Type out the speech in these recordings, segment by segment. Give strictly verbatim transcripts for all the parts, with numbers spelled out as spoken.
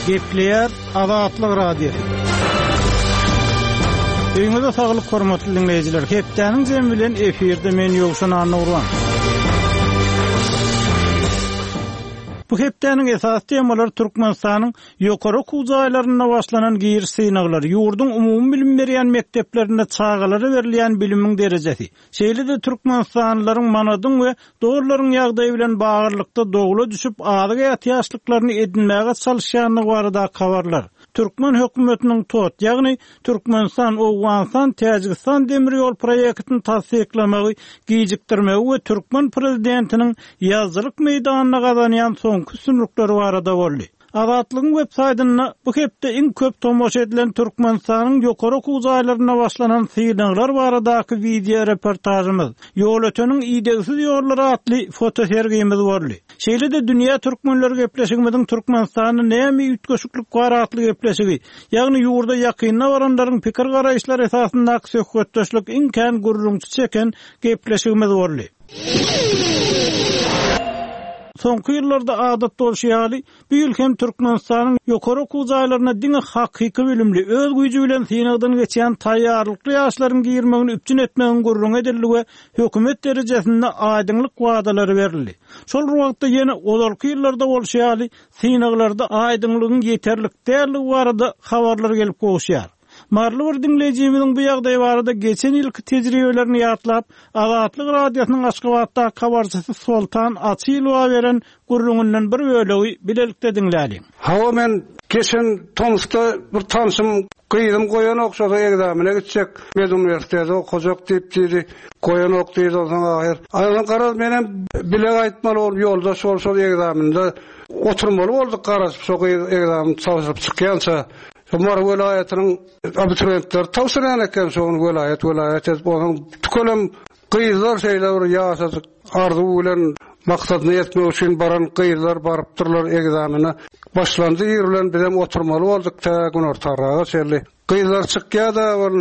Gepleýär Azatlyk Radiosy. Öýüňize saglyk hormatly dinleýjiler. Hepdäniň jemi bilen efirde men Ýowşan Annagurban. Bu hepdäniň esasy temalary Türkmenistanyň ýokary okuw jaýlarynda başlanan giriş synaglary, ýurduň umumy bilim berýän mekdeplerinde çagalara berilýän bilimiň derejesi, şeýle-de Türkmenistanlylaryň manadyň we dollaryň ýagdaýy bilen baglylykda dowla düşüp azyk ätiýaçlyklaryny edinmäge çalyşýandygy baradaky habarlar. Türkmen hökümetiniň TOT, ýagny Türkmenistan, Owganystan, Täjigistan demir ýol proýektini tassyklamagy gijikdirmegi we türkmen prezidentiniň ýazyjylyk meýdanynda gazanýan soňky üstünlikleri barada boldy. Azatlygyň web saýtynda bu hepde iň köp tomaşa edilen Türkmenistanyň ýokary okuw jaýlarynda başlanan synaglar baradaky wideo reportažymyz, Ýolöteniň idegsiz ýollary atly fotosergimiz boldy. Şeýle-de Dünýä Türkmenleri gepleşigimiziň Türkmenistanda näme üýtgeşiklik bar atly gepleşigi, ýagny ýurda ýakynda baranlaryň pikir garaýyşlary esasyndaky söhbetdeşlik iň kän gürrüňçi çeken gepleşigimiz boldy. Soňky ýyllarda adat bolşy ýaly, bu ýyl hem Türkmenistanyň ýokary okuw jaýlaryna diňe hakyky bilimli, öz güýji bilen synagdan geçýän taýýarlykly ýaşlaryň girmegini üpjün etmegiň gürrüňi edildi we hökümet derejesinde aýdyňlyk wadalary berildi. Şol bir wagtda ýene ozalky ýyllarda bolşy ýaly, synaglarda aýdyňlygyň ýeterlik däldigi barada habarlar gelip gowuşýar. Maryly bir diňleýjimiziň bu ýagdaý barada geçen ýylky tejribelerini ýatlap, Azatlyk Radiosynyň Aşgabatdaky habarçysy Soltan Açylowa beren gürrüňinden bir bölegi bilelikde diňläliň. Hawa, men geçen tomsda bir tanşym gyzym goýanok, şo ekzamene gitjek, med uniwersitete okajak diýip diýdi. Goýanok diýdi onsoň ahyr. Aýdan garaz menem bile gaýtmaly bolup ýoldaş bolup şol ekzamende oturmaly bolduk garaşyp şo gyz ekzamen tabşyryp çykýança. Şo Mary welaýatynyň abituriýentleri tabşyrýan eken şoň welaýat welaýat edip onsoň tükelem gyzlar şeýle bir ýaşajyk arzuw bilen maksadyna ýetmek üçin baran gyzlar barypdyrlar ekzamene. Başlandy ir bilen bizem oturmaly bolduk tä günortaraga çenli. Gyzlar çykýar-da ol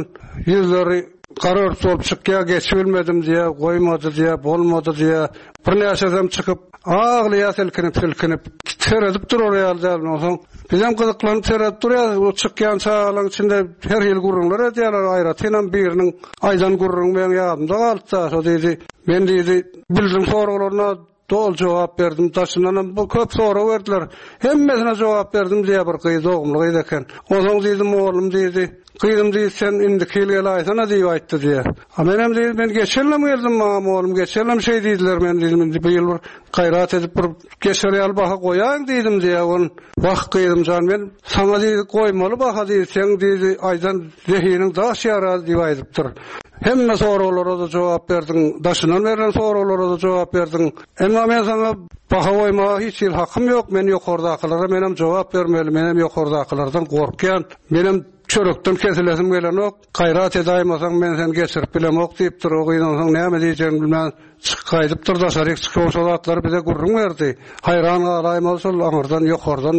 ýüzleri gara ört bolup çykýar, geçibilmedim diýe, goýmady diýe, bolmady diýe. Birnäçesem çykyp aglaýar silkinip silkinip seredip durar ýaly däl onsoň. Bizem gyzyklanyp seredip durýarys, o çykýan çagalaryň içinde her hili gürrüňler edýärler, aýratynam biriniň aýdan gürrüňi meň ýadymda galypdy, şo diýdi, men diýdi, bildim soraglaryna doly jogap berdim, daşyndanam bu köp sorag berdiler, hemmesine jogap berdim diýe bir gyz, dogumly gyz eken. Onsoň diýdi, mugallym diýdi, gyzym diýdi, sen indiki ýyl gelaýsana diýip aýtdy diýe. A menem diýdi, men geçen ýylam geldim maňa mugallym, geçen ýylam şeý diýdiler, men diýdim, indi bu ýyl bir gaýrat edip bir geçer ýaly baha goýaýyn diýdim diýe. On wah gyzym jan, men saňa diýdi, goýmaly baha diýdi, sen diýdi, aýdan zehiniň daş ýarar diýip aýdypdyr. Hemme soraglara da jogap berdiň, daşyndan berlen soraglara da jogap berdiň. Emma men saňa baha goýmaga hiç hili hakym ýok, men ýokardakylara menem jogap bermeli, menem ýokardakylardan gorkýan, menem çörekden kesilesim gelenok, gaýrat edaýmasaň men seni geçirip bilemok diýipdir. O gyz onsoň näme diýjegini bilmän çykyp gaýdypdyr, daşaryk çykyp şol zatlary bize gürrüň berdi. Haýran galaýmaly şol aňyrdan ýokardan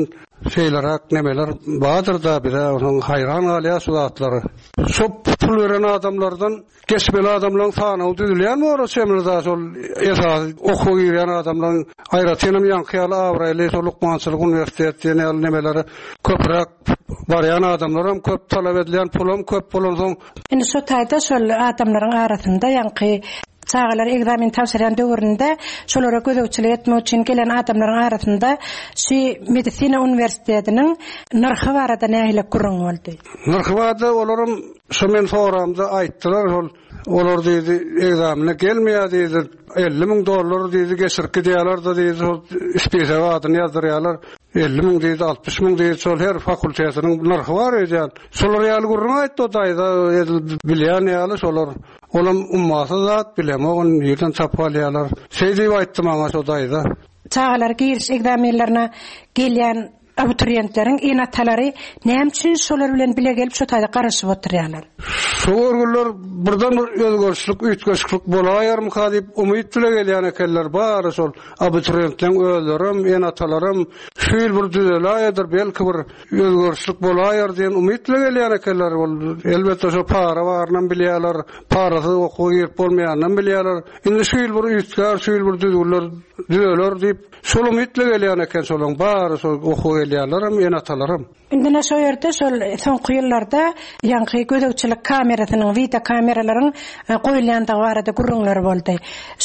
şeýleräk nemeler bardyr da bize onsoň haýran galýar şu zatlary. Şo pul beren adamlardan geçmeli adamlaryň sanawy düzülýän bor çemli da şol esasy okuwa girýän adamlaryň aýratynam ýaňky ýaly abraýly şol lukmançylyk uniwersitet diýen ýaly nemelere köpräk barýan adamlaram köp talap edilýän pulam köp bolansoň. Indi şo taýda şol adamlaryň arasynda ýaňky çagalar ekzamen tabşyrýan döwründe şolara gözegçilik etmek üçin gelen adamlaryň arasynda şu medisina uniwersitetiniň nyrhy barada nähili gürrüň boldy? Nyrhy barada olaram şo men soramda aýtdylar, şol olar diýdi, ekzamene gelmeýär diýdi, elli müň dollar diýdi, geçirip gidýärler da diýdi, şol spisek adyny ýazdyrýarlar, elli müň diýdi, altmyş müň diýdi, şol her fakultetiniň nyrhy bar öýdýän. Şolar ýaly gürrüň aýtdy o daýza, edil bilýän ýaly şolar. Olam ummasyz zat, bilemok, ony nirden tapyp alýarlar. Şeý diýip aýtdy maňa şo daýza. Çagalar giriş ekzamenlerine gelýän abituriýentleriň ene-atalary näme üçin şolar bilen bile gelip şo taýda garaşyp oturýarlar? Şo görgüller birden bir özgerişlik, üýtgeşiklik bolaýarmyka diýip umyt bile gelýän ekenler, bary şol abituriýentleriň özlerem, ene-atalaram şu ýyl bir düzeläýedir, belki bir özgerişlik bolaýar diýen umyt bile gelýän ekenler. Ol elbetde şo para barynam bilýärler, parasyz okuwa girip bolmaýanynam bilýärler. Indi şu ýyl bir üýtgär, şu ýyl bir düzgünler düzeler diýip, şol umyt bile gelýän eken şolaryň bary şol okuwa gelýän. gelýärler, ene-atalaram. Indi şo ýerde şol soňky ýyllarda ýaňky gözegçilik kamerasynyň, video kameralaryň e, goýulýandygy barada gürrüňler boldy.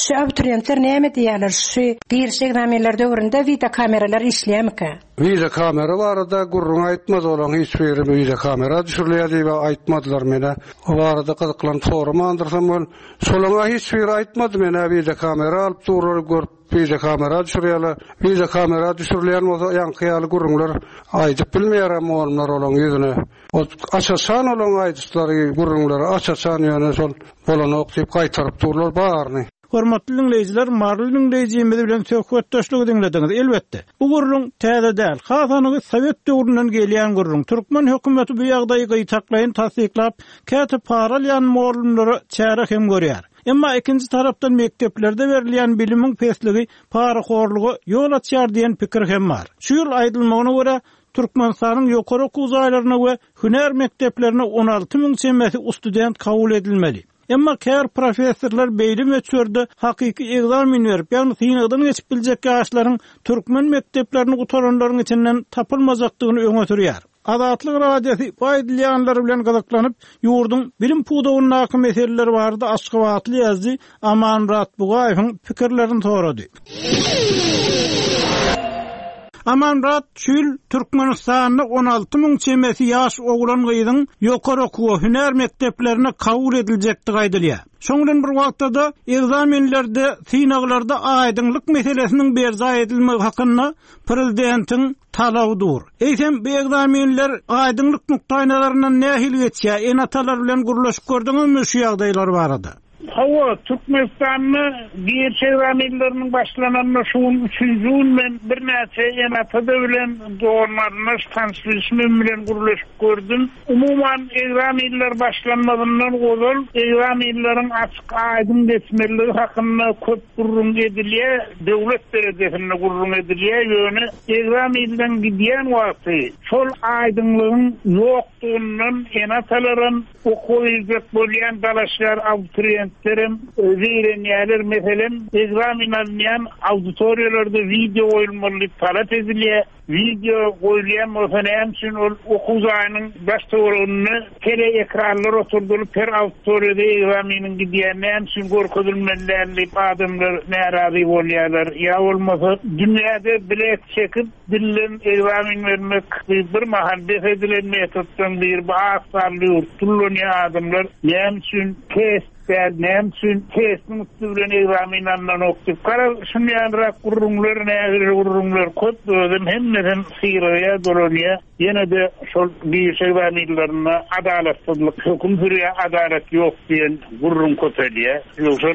Şu abituriýentler näme diýýärler? Şu giriş ekzamenler döwründe video kameralar işleýärmikä? Video kamera barada gürrüň aýtmaz olan hiç biri video kamera düşürülýär diýip aýtmadylar mene. O barada gyzyklanyp soramandyrsam ol şolaňa hiç biri aýtmady mene video kamera alyp durlar görüp video kamera düşürýärler. Video kamera düşürülýän bolsa ýaňky ýaly gürrüňler aýdyp bilmeýär onlar olaň ýüzüne. O aç-açan olan aýdyşlary gürrüňleri aç-açan ýöne şol bolanok diýip gaýtaryp durlar baryny. Hormatly dinleýjiler, Maryly dinleýjimiz bilen söhbetdeşlik diňlediňiz. Elbetde, bu gürrüň täze däl. Hasanygy Sowet döwründen gelýän gürrüň. Türkmen hökümeti bu ýagdaýy gyýtaklaýyn tassyklap, käte paralýan mugallymlara çäre hem görýär. Emma ikinji tarapdan mekdeplerde berilýän bilimiň pesligi parahorluga ýol açýar diýen pikir hem bar. Şu ýyl aýdylmagyna görä Türkmenistanyň ýokary okuw jaýlaryna we hünär mekdeplerine on alty müň çemesi student kabul edilmeli. Emma kär professorlar beýle möçberde hakyky ekzamen berip, ýagny synagdan geçip biljek ýaşlaryň türkmen mekdeplerini gutaranlaryň içinden tapylmajakdygyny öňe sürýär. Azatlyk Radiosy bu aýdylýanlar bilen gyzyklanyp, ýurduň bilim pudagyndaky meseleler barada Aşgabatly ýazyjy Amanmyrat Bugaýewiň pikirlerini sorady. Amanmyrat, şu ýyl Türkmenistanda on alty müň çemesi ýaş oglan gyzyň ýokary okuw hünär mekdeplerine kabul ediljekdigi aýdylýar. Şoň bilen bir wagtda-da ekzamenlerde, synaglarda aýdyňlyk meselesiniň berjaý edilmegi hakynda prezidentiň talaby dur. Eýsem bu ekzamenler aýdyňlyk nukdaýnazaryndan nähili geçýär? Ene-atalar bilen gürleşip gördüňizmi şu ýagdaýlar barada? Hawa, Türkmenistanda giriş ekzamenleriniň başlananyna şu gün üçünji gün men birnäçe ene-ata bilen doganlaryna tanışyşym bilen gürleşip gördüm. Umuman ekzamenler başlanmazyndan ozal ekzamenleriň açyk aýdyň geçmeligi hakynda köp gürrüň edilýär, döwlet derejesinde gürrüň edilýär. Ýöne ekzamenden gidýän wagty şol aýdyňlygyň ýokdugyndan ene-atalaram okuwa girjek bolýan dalaşgar abituriýentlerim zeýrenýärler. Meselem, ekzamen alynýan auditoriýalarda video goýulmaly diýip talap edilýär. Video goýulýan bolsa näme üçin ol okuw jaýynyň baş töwereginde tele ekranlar oturdylyp her auditoriýada ekzameniň gidýän näme üçin görkezilmeli däl diýip adamlar närazy bolýarlar. Ýa bolmasa dünýäde bilet çekip dillen ekzamen bermek bir mahal bes edilen metoddan bir bu az sanly ýurt tullanýan adamlar näme üçin test däl, näme üçin testiň üstü bilen ekzamen alynanok diýip garaz şunýanrak gürrüňler, nägile gürrüňler köp özüm hemmesem syraya dolanýar. Ýene de şol giriş ekzamenlerinde adalatsyzlyk höküm sürýär, adalat ýok diýen gürrüň köpelýär. Ýogsa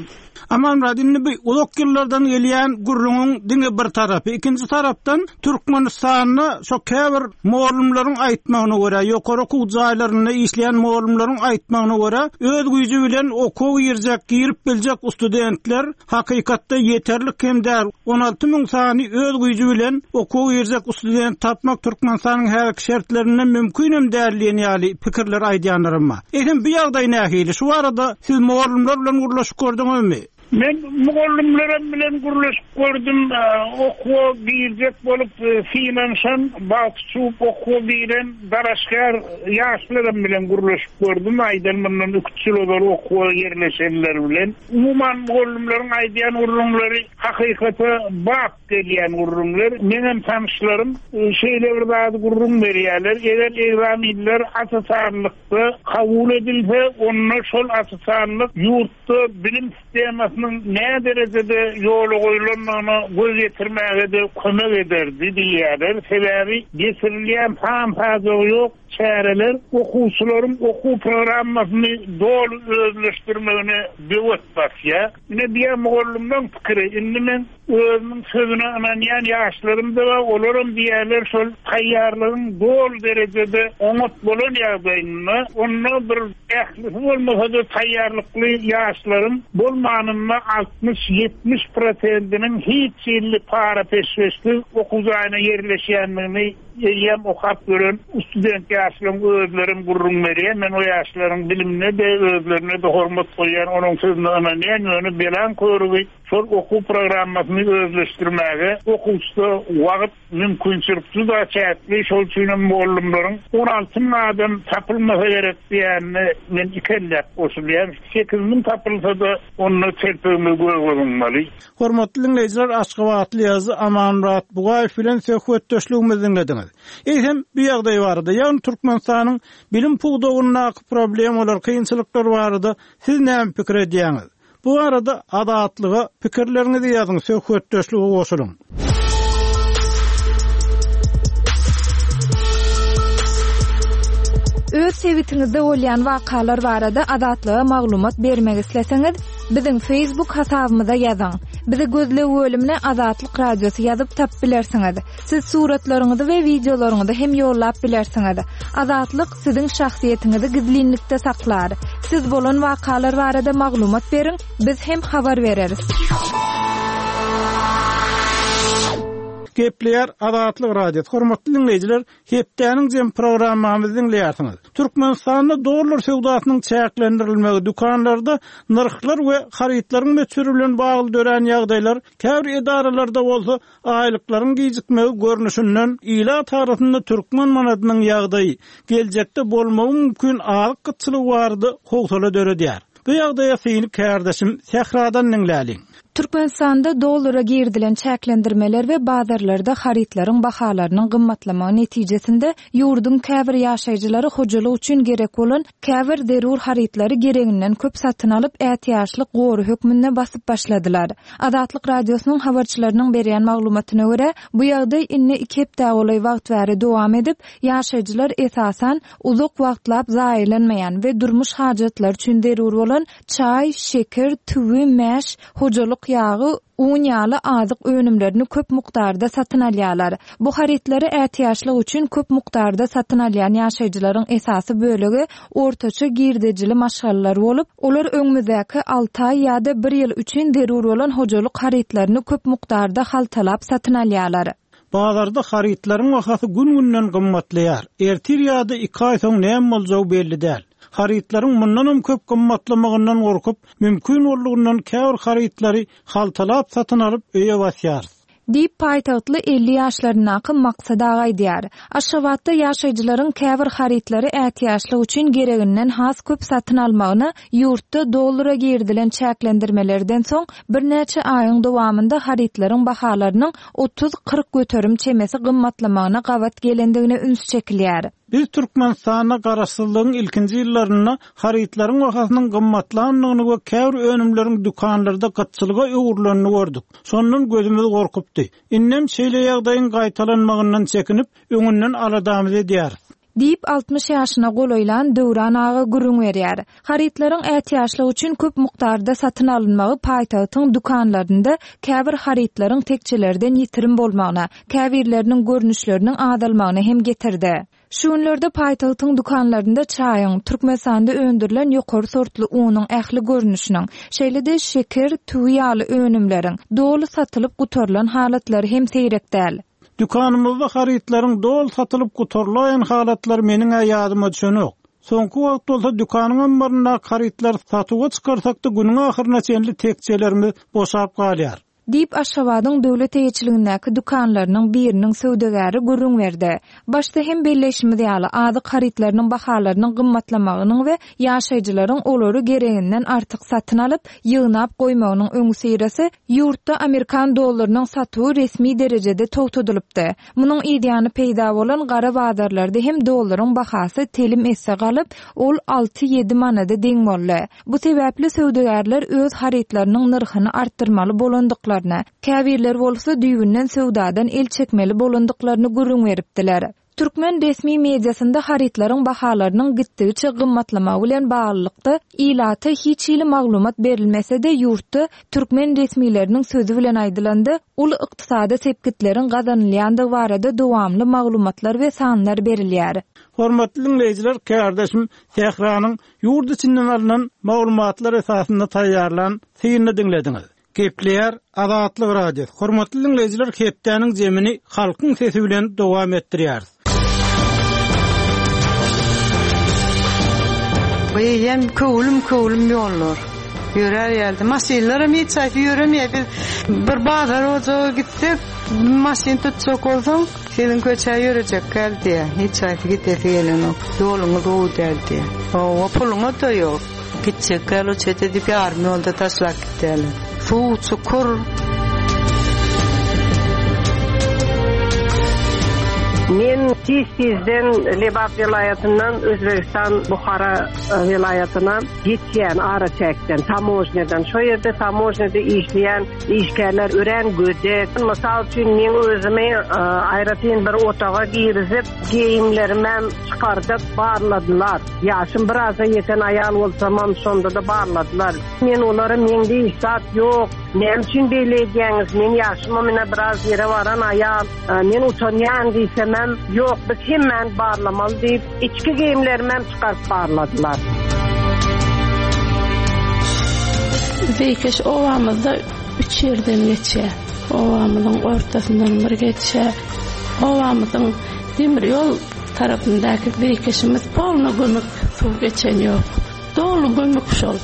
Amanmyrat, indi bu uzak ýyllardan gelýän gürrüňiň diňe bir tarapy, ikinji tarapdan Türkmenistanda şo käbir mugallymlaryň aýtmagyna görä, ýokary okuw jaýlarynda işleýän mugallymlaryň aýtmagyna görä, öz güýji bilen okuwa girjek, girip biljek studentler hakykatda ýeterlik hem däl. on alty müň sany öz güýji bilen okuwa girjek student tapmak Türkmenistanyň häzirki şertlerinde mümkin hem däl diýen ýaly pikirler aýdýanlarym bar. Eýsem bu ýagdaý nähili? Şu barada siz mugallymlar bilen gürleşip gördüňizmi? Men mugallymlarym bilen gürleşip gördüm, e, okuwa girjek bolup, e, synanyşan, bagty çuwup okuwa giren dalaşgär ýaşlarym bilen gürleşip gördüm. Aýdan mundan üç ýyl ozal okuwa ýerleşenler bilen. Umuman mugallymlaryň aýdýan gürrüňleri hakykata bap gelýän gürrüňler. Menem tanışlarym, e, şeýle bir zady gürrüň berýärler. Eger ekzamenler aç-açanlykda kabul edilse, onda şol aç-açanlyk ýurtda bilim sistemasynyň nä derejede ýola goýulandygyna göz ýetirmäge de kömek ederdi diýýärler. Sebäbi geçirilýän san-sajagy ýok çäreler okuwçylaryň okuw programmasyny doly özleşdirmegine böwet basýar. Ine diýen mugallymlaryň pikiri, indi men özümiň sözüne ynanýan ýaşlarym da bar, olaram diýerler şol taýýarlygyň doly derejede oňat bolan ýagdaýynda, onda bir ählisi bolmasa-da taýýarlykly ýaşlaryň bolmanynda altmyş ýetmiş prosentiniň hiç ýylly para peşgeşsiz okuw jaýyna ýerleşýändigini eýýäm okap gören student Ýaşlaryň özlerim gürrüň berýär. Men o ýaşlaryň bilimine de özlerine de hormat goýýan, onuň sözüne ynanýan, ýöne belan körügi şol okuw programmasyny özleşdirmäge okuwçyda wagt mümkinçilik juda çäkli, şol üçin hem mugallymlaryň on alty müň adam tapylmasa gerek diýenine men ikelläp goşulýan. Sekiz müň tapylsa-da onda telpegimi göge zyňmaly. Hormatly dinleýjiler, Aşgabatly ýazyjy Amanmyrat Bugaýew bilen söhbetdeşligimizi dinlediňiz. Eýsem, bu ýagdaý barada, ýagny Türkmenistanyň bilim pudagyndaky problemalar, kynçylyklar barada siz näme pikir edýäňiz? Bu arada Azatlyga pikirleriňizi ýazyň, söhbetdeşlige goşulyň. Öz sebitiňizde bolýan wakalar barada Azatlyga maglumat bermek isleseňiz, biziň Facebook hasabymyza ýazyň. Bizi gözleg bölümine Azatlyk Radiosy ýazyp tap bilersiňiz. Siz suratlaryňyzy we wideolaryňyzy hem ýollap bilersiňiz. Azatlyk siziň şahsyýetiňizi gizlinlikde saklar. Siz bolan wakalar barada maglumat beriň, biz hem habar bereris. Gepleýär Azatlyk Radiosy. Hormatly dinleýjiler, hepdäniň jem programmamyzy dinleýärsiňiz. Türkmenistanda dollar söwdasynyň çäklendirilmegi, dükanlarda nyrhlar we harytlaryň möçberi bilen bagly dörän ýagdaýlar, käbir edaralarda bolsa aýlyklaryň gijikmegi görnüşinden ilat arasynda türkmen manadynyň ýagdaýy geljekde bolmagy mümkin azyk gytçylygy barada howsala döredýär. Bu ýagdaýa syny kärdeşim Sähradan diňläliň. Türkmenistanda dollara girdilen çäklendirmeler we bazarlarda harytlaryň bahalarynyň gymmatlamagy netijesinde ýurduň käbir ýaşaýjylary hojalyk üçin gerek bolan käbir zerur harytlary gereginden köp satyn alyp ätiýaçlyk gory hökmünde basyp başladylar. Azatlyk Radiosynyň habarçylarynyň berýän maglumatyna görä, bu ýagdaý indi iki hepde golaý wagt bäri dowam edip, ýaşaýjylar esasan uzak wagtlap zaýalanmaýan we durmuş hajatlary üçin zerur bolan çaý, şeker, tüwi, mäş, hojalyk ýagy, un ýaly azyk önümlerini köp mukdarda satyn alýarlar. Bu harytlary ätiýaçlyk üçin köp mukdarda satyn alýan ýaşaýjylaryň esasy bölegi ortaça girdejili maşgalalar bolup, olar öňümizdäki alty aý ýa-da bir ýyl üçin zerur bolan hojalyk harytlaryny köp mukdarda haltalap satyn alýarlar. Bazarda harytlaryň bahasy gün-günden gymmatlaýar. Ertir ýa-da iki aý soň näme boljagy belli däl. Harytlaryň mundan hem köp gymmatlamagyndan gorkup, mümkin boldugyndan käbir harytlary haltalap satyn alyp öýe basýarys. Diýip paýtagtly elli ýaşlaryndaky Maksat aga aýdýar. Aşgabatda ýaşaýjylaryň käbir harytlary ätiýaçlyk üçin gereginden has köp satyn almagyna ýurtda dollara girdilen çäklendirmelerden soň birnäçe aýyň dowamynda harytlaryň bahalarynyň otuz kyrk göterim çemesi gymmatlamagyna gabat gelendigine üns çekilýär. Biz Türkmenistanda garaşsyzlygyň ilkinji ýyllarynda harytlaryň bahasynyň gymmatlandygyny we käbir önümleriň dükanlarda gytçylyga öwrülenini gördük. Şondan gözümiz gorkupdy. Indem şeýle ýagdaýyň gaýtalanmagyndan çekinip, öňünden aladamyz edýäris. Diýip altmyş ýaşyna golaýlan Döwran aga gürrüň berýär. Harytlaryň ätiýaçlyk üçin köp mukdarda satyn alynmagy paýtagtyň dükanlarynda käbir harytlaryň tekçelerden ýitirim bolmagyna, käbirleriniň görnüşleriniň azalmagyna hem getirdi. Şu günlerde paýtagtyň dükanlarynda çaýyň, Türkmenistanda öndürilen ýokary sortly unuň ähli görnüşiniň, şeýle-de şeker, tüwi ýaly önümleriň doly satylyp gutarylan halatlary hem seýrek däl. Dükanymyzda harytlaryň doly satylyp gutarylan halatlar meniň ýadyma düşenok. Soňky wagt bolsa dükanyň ammaryndaky harytlar satuwa çykarsak-da günüň ahyryna çenli tekçelerimiz boşap galýar. Diýip Aşgabadyň döwlet eýeçiligindäki dükanlarynyň biriniň söwdagäri gürrüň berdi. Başda hem belleýşimiz ýaly, azyk harytlarynyň bahalarynyň gymmatlamagynyň we ýaşaýjylaryň olary gereginden artyk satyn alyp, ýygnap goýmagynyň öňüsyrasy ýurtda Amerikan dollarynyň satuwy resmi derejede togtadylypdy. Munuň ýany peýda bolan gara bazarlarda hem dollaryň bahasy telim esse galyp, ol alty ýedi manada deň boldy. Bu sebäpli söwdagärler öz harytlarynyň nyrhyny artdyrmaly bolandyklaryny, käbirler bolsa düýbünden söwdadan el çekmeli bolandyklaryny gürrüň beripdiler. Türkmen resmi mediasynda harytlaryň bahalarynyň gitdigiçe gymmatlamagy bilen baglylykda ilata hiç hili maglumat berilmese-de ýurtda türkmen resmileriniň sözi bilen aýdylanda uly ykdysady sepgitleriň gazanylýandygy barada dowamly maglumatlar we sanlar berilýär. Hormatly dinleýjiler, kärdeşim Sähranyň ýurt içinden alynan maglumatlar esasynda taýýarlan synyny dinlediňiz. Gepleýär Azatlyk Radiosy. Hormatly dinleýjiler, hepdäniň zemini halkyň sesi bilen dowam etdirýäris. Bu eýýäm köwlüm-köwlüm ýollar. Ýörär ýaly. Maşynlaram hiç haýsy ýöremeýär. Biz bir bazar ojaga gitsek, maşyn tutjak bolsaň, siziň köçä ýörejek däl diýýär. Hiç haýsy gidesi gelenok. Ýoluňyz gowy däl diýýär. Hawa, puluňyz-da ýok. Gitjek däl, o çete diýip ýarym ýolda taşlap gitýärler. Suw, çukur. Men tiz-tizden Lebap welaýatyndan Özbegistan Buhara welaýatyna geçýän araçäkden, tamožnýadan. Şo ýerde tamožnýada işleýän işgärler örän gödek. Mysal üçin, meň özümi aýratyn bir otaga girizip, geýimlerimem çykardyp barladylar. Ýaşym biraza ýeten aýal bolsamam, şonda-da barladylar. Men olara meňde hiç zat ýok, näme üçin beýle edýäňiz, men ýaşymam ine biraz ýere baran aýal, men utanýan diýsemem, ýok, biz hemmäni barlamaly diýip, içki geýimlerimem çykaryp barladylar. Zeýkeş obamyzda üç ýerden geçýär. Obamyzyň ortasyndan bir geçýär. Obamyzyň demir ýol tarapyndaky zeýkeşimiz polny gömük, suw geçen ýok. Doly gömük şol.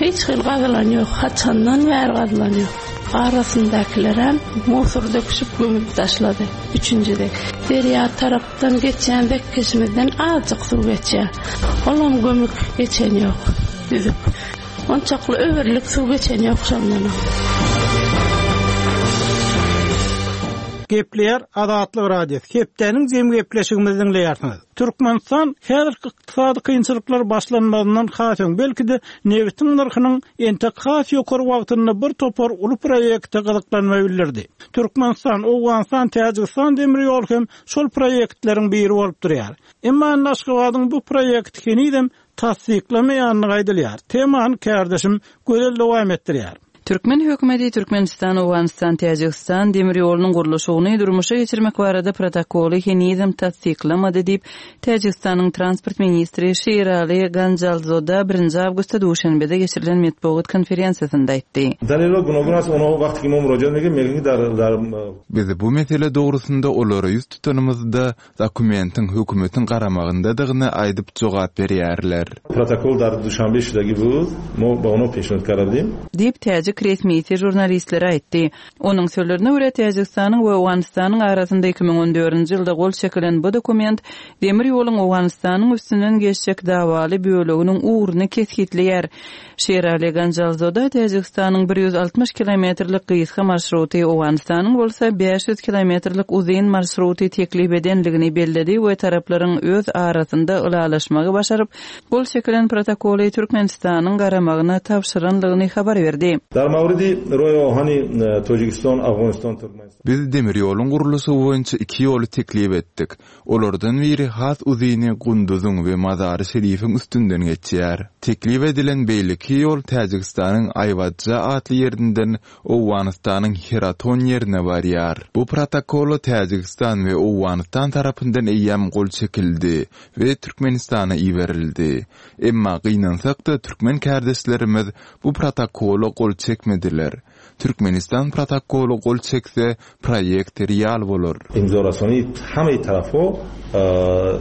Hiç hili gazylan ýok. Haçandan bäri gazylan ýok. Arasyndakylarem musur döküşip gömüp taşlady. Üçünjide derýa tarapdan geçýän zeýkeşimizden azajyk suw geçýär. Olam gömük geçen ýok. Düzük. Onçakly öwürlik suw geçen ýok şondan. Gepleýär Azatlyk Radiosy. Hepdäniň jem gepleşigimizi diňleýärsiňiz. Türkmenistan häzirki ykdysady kynçylyklar başlanmazyndan has öň, belki-de nebitiň nyrhynyň entek has ýokary wagtynda bir topar uly proýekte gyzyklanma bildirdi. Türkmenistan, Owganystan, Täjigistan demir ýol hem şol proýektleriň biri bolup durýar. Emma Aşgabadyň bu proýekti henizem tassyklamaýandygy aýdylýar. Temany kärdeşim Gözel dowam etdirýär. Türkmen hökümeti Türkmenistan, Owganystan, Täjigistan demir ýolunyň gurluşygyny durmuşa geçirmek barada protokoly henizem tassyklamady diýip, Täjigistanyň transport ministri Şirali Ganjalzoda birinji awgustda Duşenbede geçirilen metbugat konferensiýasynda aýtdy. Biz bu mesele dogrusynda olara ýüz tutanymyzda dokumentiň hökümetiň garamagyndadygyny aýdyp jogap berýärler. Protokol dar Duşanbe şudagi bu, mo ba ono peşnot karadim. Diýip, täjik resmisi žurnalistlere aýtdy. Onuň sözlerine görä, Täjigistanyň we Owganystanyň arasynda iki müň on dördünji ýylda gol çekilen bu dokument demir ýoluň Owganystanyň üstünden geçjek dawaly böleginiň ugruny kesgitleýär. Şirali Ganjalzoda Täjigistanyň bir ýüz altmyş kilometrlik gysga marşruty, Owganystanyň bolsa bäş ýüz kilometrlik uzyn marşruty teklip edenligini belledi we taraplaryň öz arasynda ylalaşmagy başaryp, gol çekilen protokoly Türkmenistanyň garamagyna tabşyranlygyny habar berdi. Dar mawridi roý ohani Täjigistan, Afganistan, Türkmenistan. Biz demir ýoluň gurluşygy boýunça iki ýoly teklip etdik. Olardan biri has uzyny Gunduzyň we Mazary Şerifiň üstünden geçýär. Teklip edilen beýleki ýol Täjigistanyň Aýwadja atly ýerinden Owganystanyň Heraton ýerine barýar. Bu protokola Täjigistan we Owganystan tarapyndan eýýäm gol çekildi we Türkmenistana iberildi. Emma gynansak-da türkmen kärdeşlerimiz bu protokola gol çekmediler. Türkmenistan protokola gol çekse, proýekt real bolar. Imzorasony hemme tarafo,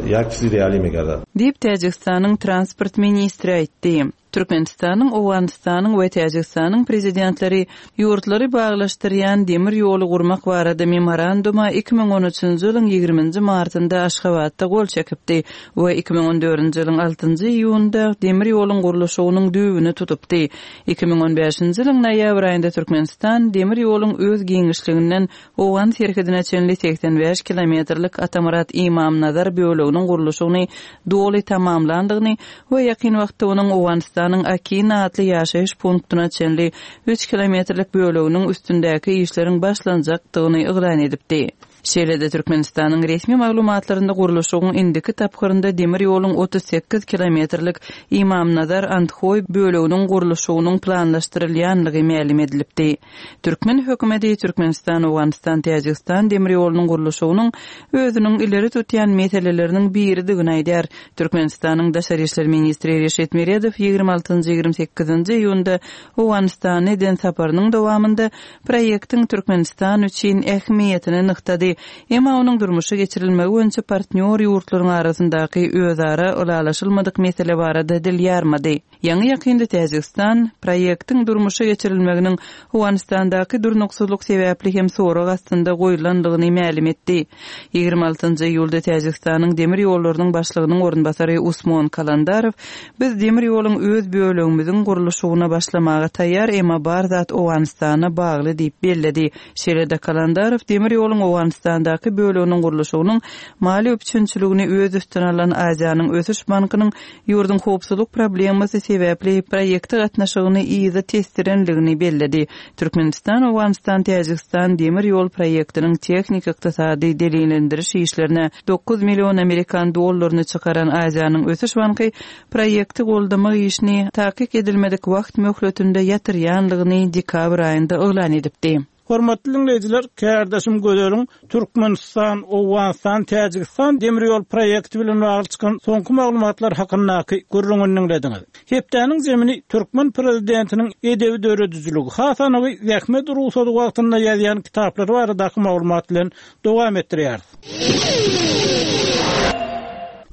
ýa kişi reali megarda. Diýip Täjigistanyň transport ministri aýtdy. Türkmenistanyň, Owganystanyň we Täjigistanyň prezidentleri ýurtlary baglaşdyrýan demir ýoly gurmak barada memoranduma iki müň on üçünji ýylyň ýigriminji martynda Aşgabatda gol çekipdi we iki müň on dördünji ýylyň altynjy iýunda demir ýoluň gurluşygynyň düýbüni tutupdy. Iki müň on bäşinji ýylyň noýabr aýynda Türkmenistan demir ýoluň öz giňişliginden Owgan serhedine çenli seksen bäş kilometrlik Atamyrat Imamnazar böleginiň gurluşygyny doly tamamlandygyny we ýakyn wagtda onuň Owganystanyň Akina atly ýaşaýyş punktuna çenli üç kilometrlik böleginiň üstündäki işleriň başlanjakdygyny yglan edipdi. Şeýle-de Türkmenistanyň resmi maglumatlarynda gurluşygyň indiki tapgyrynda demir ýoluň otuz sekiz kilometrlik Imamnazar Andhoý böleginiň gurluşygynyň planlaşdyrylýanlygy mälim edilipdi. Türkmen hökümeti Türkmenistan, Owganystan, Täjigistan demir ýolunyň gurluşygynyň özüniň ileri tutýan meseleleriniň biridigini aýdar. Türkmenistanyň Daşary işler ministri Reşit Meredow ýigrimi altynjy, ýigrimi sekizinji iýunda Owganystana eden saparynyň dowamynda proýektiň Türkmenistan üçin ähmiýetini nygtady. aýtdy. Emma onuň durmuşa geçirilmegi boýunça partnýor ýurtlaryň arasyndaky özara ylalaşylmadyk mesele barada dil ýarmady. Ýaňy-ýakynda Täjigistan proýektiň durmuşa geçirilmeginiň Owganystandaky durnuksyzlyk sebäpli hem sorag astynda goýulandygyny mälim etdi. Ýigrimi altynjy iýulda Täjigistanyň demir ýollarynyň başlygynyň orunbasary Usmon Kalandarow Biz demir ýoluň öz bölegimiziň gurluşygyna başlamaga taýýar, emma bar zat Owganystana bagly diýip belledi. Şeýle-de Kalandarow demir ýoluň Owganystandaky böleginiň gurluşygynyň maliýe üpjünçiligini öz üstüne alan Aziýanyň ösüş bankynyň ýurduň howpsuzlyk problemasy sebäpli proýekte gatnaşygyny yza tesdirendigini belledi. Türkmenistan Owganystan-Täjigistan demir ýol proýektiniň tehniki-ykdysady delillendiriş işlerine dokuz million amerikan dollaryny çykaran Aziýanyň ösüş banky proýekti goldamak işini takyk edilmedik wagt möhletinde ýatyrýanlygyny dekabr aýynda yglan edipdi. Hormatly diňleýjiler, kärdeşim Gözeliň Türkmenistan, Owganystan, Täjigistan demir ýol proýekti bilen bagly çykan soňky maglumatlar hakyndaky gürrüňini diňlediňiz. Hepdäniň zemini türkmen prezidentiniň edebi döredijiligi, has anygy zähmet rugsady wagtynda ýazýan kitaplary baradaky maglumat bilen dowam etdirýäris.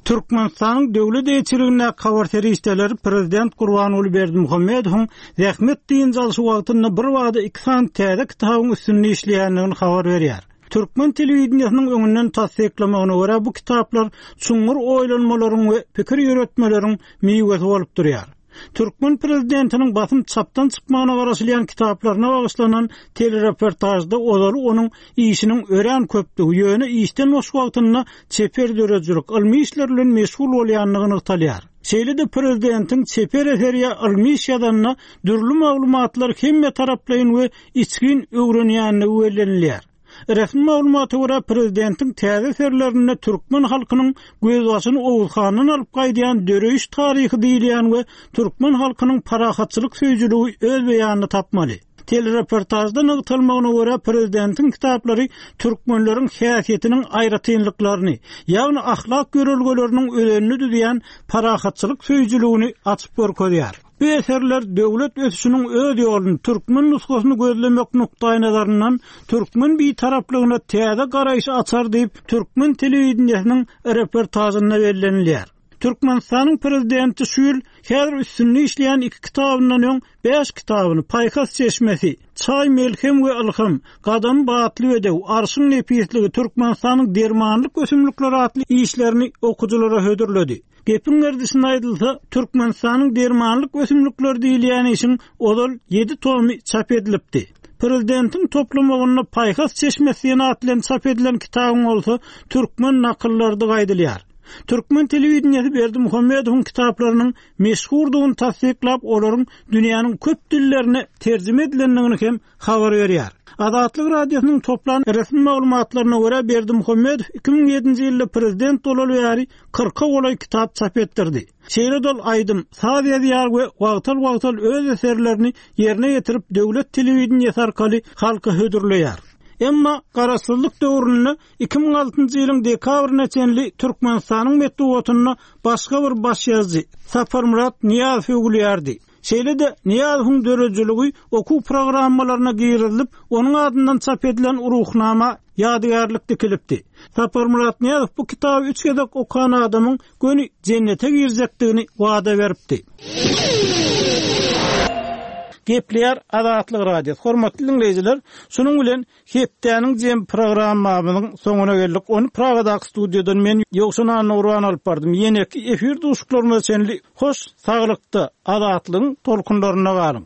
Türkmenistanyň döwlet eýeçiligindäki habar serişdeleri prezident Gurbanguly Berdimuhamedowyň zähmet dynç alşy wagtynda bir wada iki sany täze kitabyň üstünde işleýändigini habar berýär. Türkmen telewideniýesiniň öňünden tassyklamagyna görä bu kitaplar çuňňur oýlanmalaryň we pikir ýöretmeleriň miwesi bolup durýar. Türkmen prezidentiniň basym çapdan çykmagyna garaşylýan kitaplaryna bagyşlanan telereportajda ozaly onuň işiniň örän köpdügi, ýöne işden boş wagtynda çeper döredijilik, ylmy işler bilen meşgul bolýandygy nygtalýar. Şeýle-de prezidentiň çeper eseri ýa ylmy iş ýazanda dürli maglumatlar hemme taraplaýyn we içgin öwrenýändigi bellenilýär. Resmi maglumata görä prezidentiň täze eserlerinde türkmen halkynyň gözbaşyny Oguzhandan alyp gaýdýan döreýiş taryhy diýilýän we türkmen halkynyň parahatçylyk söýüjiligi öz beýanyny tapmaly. Telereportajda nygtalmagyna görä prezidentiň kitaplary türkmenleriň häsiýetiniň aýratynlyklaryny, ýagny ahlak ýörelgeleriniň özenini düzýän parahatçylyk söýüjiligini açyp görkezýär. Bu eserler döwlet ösüşiniň öz ýoluny türkmen nusgasyny gözlemek nukdaýnazaryndan türkmen bitaraplygyna täze garaýyş açar diýip türkmen telewideniýesiniň reportajynda bellenilýär. Türkmenistanyň prezidenti şu ýyl häzir üstünde işleýän iki kitabyndan öň bäş kitabyny Paýhas çeşmesi, Çaý melhem we ylham, Gadam batly bedew, Arşyň nepisligi, Türkmenistanyň dermanlyk ösümlikleri atly işlerini okujylara hödürledi. Gepiň gerdişine aýdylsa, Türkmenistanyň dermanlyk ösümlikleri diýilýän işiň ozal ýedi tomy çap edilipdi. Prezidentiň toplamagynda Paýhas çeşmesi diýen at bilen çap edilen kitabyň bolsa türkmen nakyllary aýdylýar. Türkmen telewideniýesi Berdimuhamedowyň kitaplarynyň meşhurdygyny tassyklap, olaryň dünýäniň köp dillerine terjime edilendigini hem habar berýär. Azatlyk radiosynyň toplan resmi maglumatlaryna görä Berdimuhamedow iki müň ýedinji ýylda prezident bolaly bäri kyrka golaý kitap çap etdirdi. Şeýle dol aýdym, saz ýazýar we wagtal-wagtal öz eserlerini ýerine ýetirip döwlet telewideniýesi arkaly halka hödürleýär. Emma garaşsyzlyk döwründe iki müň altynjy ýylyň dekabryna çenli Türkmenistanyň metbugatynda başga bir baş ýazyjy Saparmyrat Nyýazow öwülýärdi. Şeýle-de Nyýazowyň döredijiligi okuw programmalaryna girizilip, onuň adyndan çap edilen ruhnama ýadygärlik dikilipdi. Saparmyrat Nyýazow bu kitaby üç gezek okan adamyň göni jennete girjekdigini wada beripdi. Gepleýär Azatlyk Radiosy. Hormatly dinleýjiler, şunuň bilen hepdäniň jem programmamyzyň soňuna geldik. Ony Pragadaky studiýadan men Ýowşan Annagurban alyp bardym. Ýeneki efir duşuklarymyza çenli hoş saglykda, azatlygyň tolkunlarynda galyň.